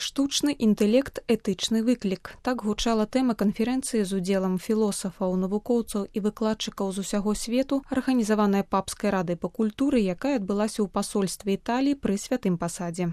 Штучны інтэлект – этычны выклік. Так гучала тэма канферэнцыі з удзелам філосафаў, навукоўцаў і выкладчыкаў з усяго свету, арганізаваная Папскай радай па культуры, якая адбылася ў пасольстве Італіі пры святым пасадзе.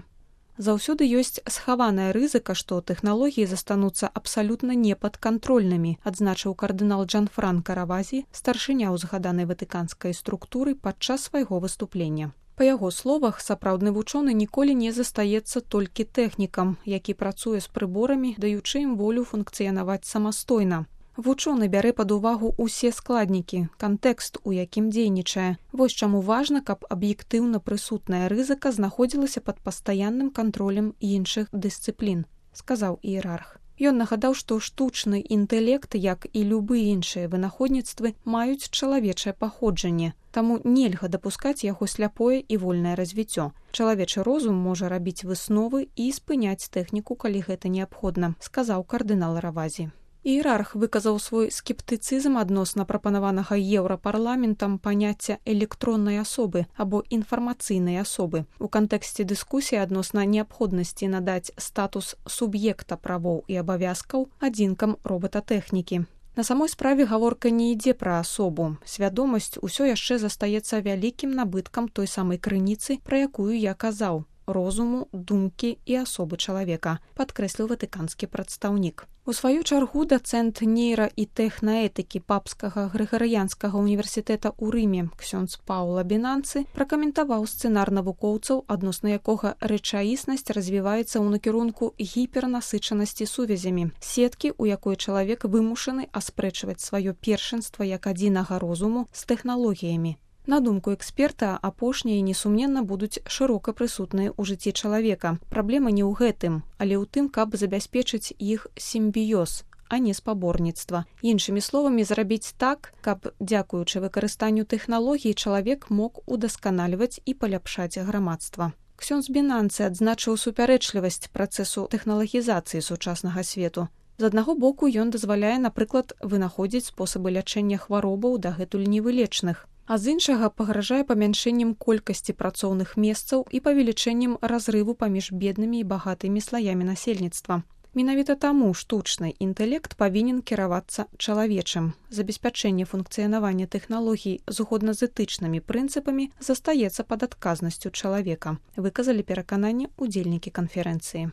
Заўсёды ёсць схаваная рызыка, што тэхналогіі застануцца абсалютна непадкантрольнымі, адзначыў кардынал Джанфранка Равазі, старшыня ўзгаданай ватыканскай структуры падчас свайго выступлення. Па яго словах, сапраўдны вучоны ніколі не застаецца толькі тэхнікам, які працуе з прыборамі, даючы ім волю функцыянаваць самастойна. Вучоны бярэ пад увагу ўсе складнікі, кантэкст, у якім дзейнічае. Вось чаму важна, каб аб'ектыўна прысутная рызыка знаходзілася пад пастаянным кантролем іншых дысцыплін, сказаў іерарх. Ён нагадаў, што штучны інтэлект, як і любыя іншыя вынаходніцтвы, маюць чалавечае паходжанне, таму нельга дапускаць яго сляпое і вольнае развіццё. Чалавечы розум можа рабіць высновы і спыняць тэхніку, калі гэта неабходна, сказаў кардынал Равазі. Іерарх выказаў свой скептыцызм адносна прапанаванага еўрапарламентам паняцця электроннай асобы або інфармацыйнай асобы у кантэксце дыскусіі адносна неабходнасці надаць статус суб'екта правоў і абавязкаў адзінкам робататэхнікі. На самой справе гаворка не ідзе пра асобу. Свядомасць усё яшчэ застаецца вялікім набыткам той самай крыніцы, пра якую я казаў – розуму, думкі і асобы чалавека, падкрэсліў ватыканскі прадстаўнік. У сваю чаргу дацэнт нейра- і тэхнаэтыкі Папскага Грыгарыянскага універсітэта ў Рыме ксёндз Паула Бінанцы пракаментаваў сцэнар навукоўцаў, адносна якога рэчаіснасць развіваецца ў накірунку гіпернасычанасці сувязямі, сеткі, у якой чалавек вымушаны аспрэчваць сваё першынства як адзінага розуму з тэхналогіямі. На думку эксперта, апошнія, несумненна, будуць шырока прысутныя ў жыцці чалавека. Праблема не ў гэтым, але ў тым, каб забяспечыць іх сімбіёз, а не спаборніцтва. Іншымі словамі, зрабіць так, каб, дзякуючы выкарыстанню тэхналогій, чалавек мог удасканальваць і паляпшаць грамадства. Ксёндз Бінанцы адзначыў супярэчлівасць працэсу тэхналагізацыі сучаснага свету. З аднаго боку, ён дазваляе, напрыклад, вынаходзіць спосабы лячэння хваробаў дагэтуль невылечных, а з іншага пагражае памяншэннем колькасці працоўных месцаў і павелічэннем разрыву паміж беднымі і багатымі слаямі насельніцтва. Менавіта таму штучны інтэлект павінен кіравацца чалавечым. Забеспячэнне функцыянавання тэхналогій згодна з этычнымі прынцыпамі застаецца пад адказнасцю чалавека, выказалі перакананне ўдзельнікі канферэнцыі.